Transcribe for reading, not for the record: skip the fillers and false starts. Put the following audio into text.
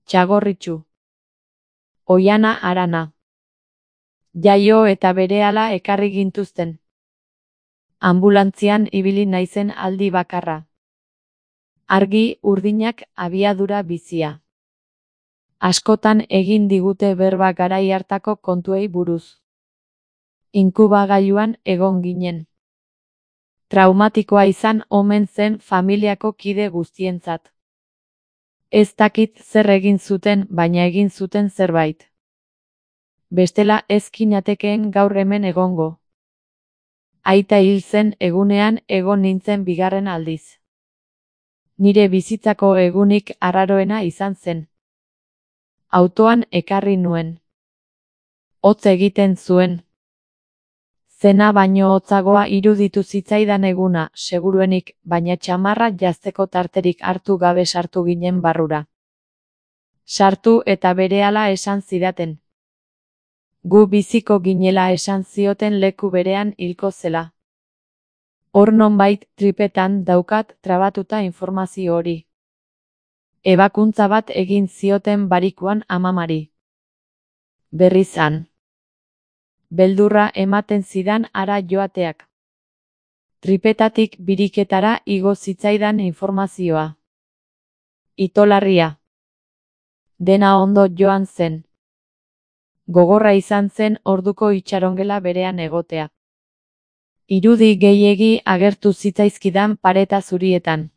Txagorritxu. Oiana Arana. Jaio eta berehala ekarri gintuzten. Ambulantzian ibili naizen aldi bakarra. Argi urdinak abiadura bizia. Askotan egin digute berba garai hartako kontuei buruz. Inkubagailuan egon ginen. Traumatikoa izan omen zen familiako kide guztientzat. Ez dakit zer egin zuten, baina egin zuten zerbait. Bestela ez ginatekeen gaur hemen egongo. Aita hil zen egunean egon nintzen bigarren aldiz. Nire bizitzako egunik arraroena izan zen. Autoan ekarri nuen. Hotz egiten zuen. Zena baino hotzagoa iruditu zitzaidan eguna, seguruenik, baina txamarra jazteko tarterik hartu gabe sartu ginen barrura. Sartu eta berehala esan zidaten. Gu biziko ginela esan zioten leku berean hilko zela. Hor nonbait tripetan daukat trabatuta informazio hori. Ebakuntza bat egin zioten barikuan amamari. Berrizan. Beldurra ematen zidan hara joateak. Tripetatik biriketara igo zitzaidan informazioa. Itolarria. Dena ondo joan zen. Gogorra izan zen orduko itxarongela berean egotea. Irudi gehiegi agertu zitzaizkidan pareta zurietan.